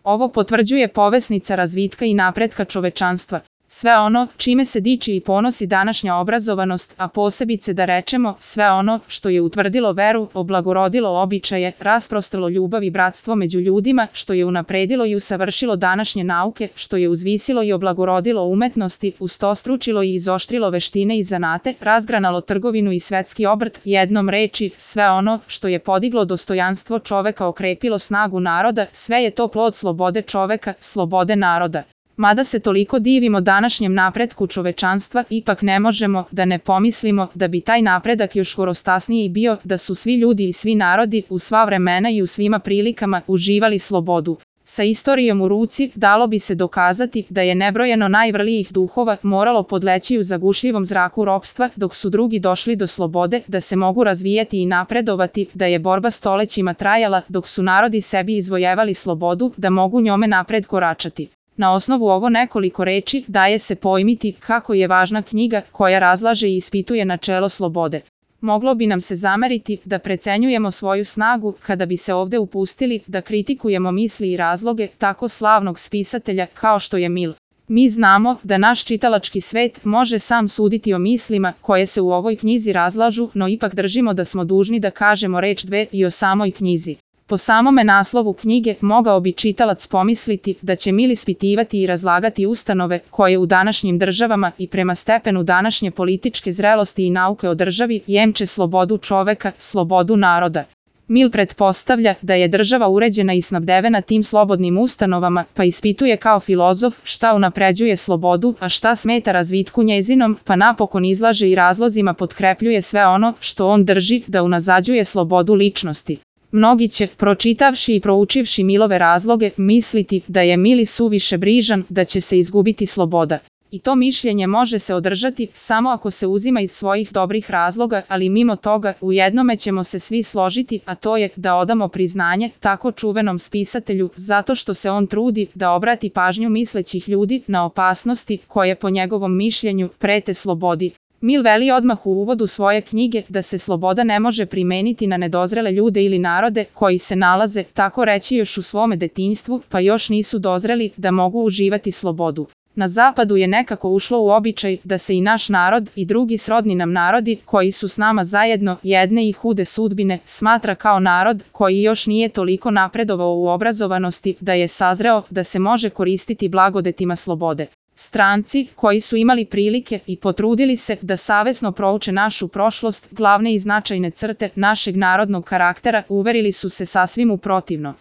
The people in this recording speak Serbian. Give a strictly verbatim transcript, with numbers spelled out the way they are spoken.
Ovo potvrđuje povesnica razvitka i napretka čovečanstva. Sve ono čime se diči i ponosi današnja obrazovanost, a posebice da rečemo sve ono što je utvrdilo veru, oblagorodilo običaje, rasprostalo ljubav i bratstvo među ljudima, što je unapredilo i usavršilo današnje nauke, što je uzvisilo i oblagorodilo umetnosti, ustostručilo i izoštrilo veštine i zanate, razgranalo trgovinu i svetski obrt, jednom reči, sve ono što je podiglo dostojanstvo čoveka, okrepilo snagu naroda, sve je to plod slobode čoveka, slobode naroda. Mada se toliko divimo današnjem napretku čovečanstva, ipak ne možemo da ne pomislimo da bi taj napredak još gorostasniji bio da su svi ljudi i svi narodi u sva vremena i u svima prilikama uživali slobodu. Sa istorijom u ruci dalo bi se dokazati da je nebrojeno najvrlijih duhova moralo podleći u zagušljivom zraku ropstva dok su drugi došli do slobode, da se mogu razvijati i napredovati, da je borba stolećima trajala dok su narodi sebi izvojevali slobodu, da mogu njome napred koračati. Na osnovu ovo nekoliko reči daje se pojmiti kako je važna knjiga koja razlaže i ispituje načelo slobode. Moglo bi nam se zameriti da precenjujemo svoju snagu kada bi se ovde upustili da kritikujemo misli i razloge tako slavnog spisatelja kao što je Mill. Mi znamo da naš čitalački svet može sam suditi o mislima koje se u ovoj knjizi razlažu, no ipak držimo da smo dužni da kažemo reč dve i o samoj knjizi. Po samome naslovu knjige mogao bi čitalac pomisliti da će Mill ispitivati i razlagati ustanove koje u današnjim državama i prema stepenu današnje političke zrelosti i nauke o državi jemče slobodu čoveka, slobodu naroda. Mill pretpostavlja da je država uređena i snabdevena tim slobodnim ustanovama, pa ispituje kao filozof šta unapređuje slobodu, a šta smeta razvitku njezinom, pa napokon izlaže i razlozima potkrepljuje sve ono što on drži da unazađuje slobodu ličnosti. Mnogi će, pročitavši i proučivši Millove razloge, misliti da je Mill suviše brižan, da će se izgubiti sloboda. I to mišljenje može se održati samo ako se uzima iz svojih dobrih razloga, ali mimo toga u jednome ćemo se svi složiti, a to je da odamo priznanje tako čuvenom spisatelju zato što se on trudi da obrati pažnju mislećih ljudi na opasnosti koje po njegovom mišljenju prete slobodi. Mill veli odmah u uvodu svoje knjige da se sloboda ne može primeniti na nedozrele ljude ili narode koji se nalaze, tako reći, još u svome detinjstvu, pa još nisu dozreli da mogu uživati slobodu. Na zapadu je nekako ušlo u običaj da se i naš narod i drugi srodni nam narodi koji su s nama zajedno jedne i hude sudbine smatra kao narod koji još nije toliko napredovao u obrazovanosti da je sazreo da se može koristiti blagodetima slobode. Stranci koji su imali prilike i potrudili se da savesno prouče našu prošlost, glavne i značajne crte našeg narodnog karaktera, uverili su se sasvim u protivno.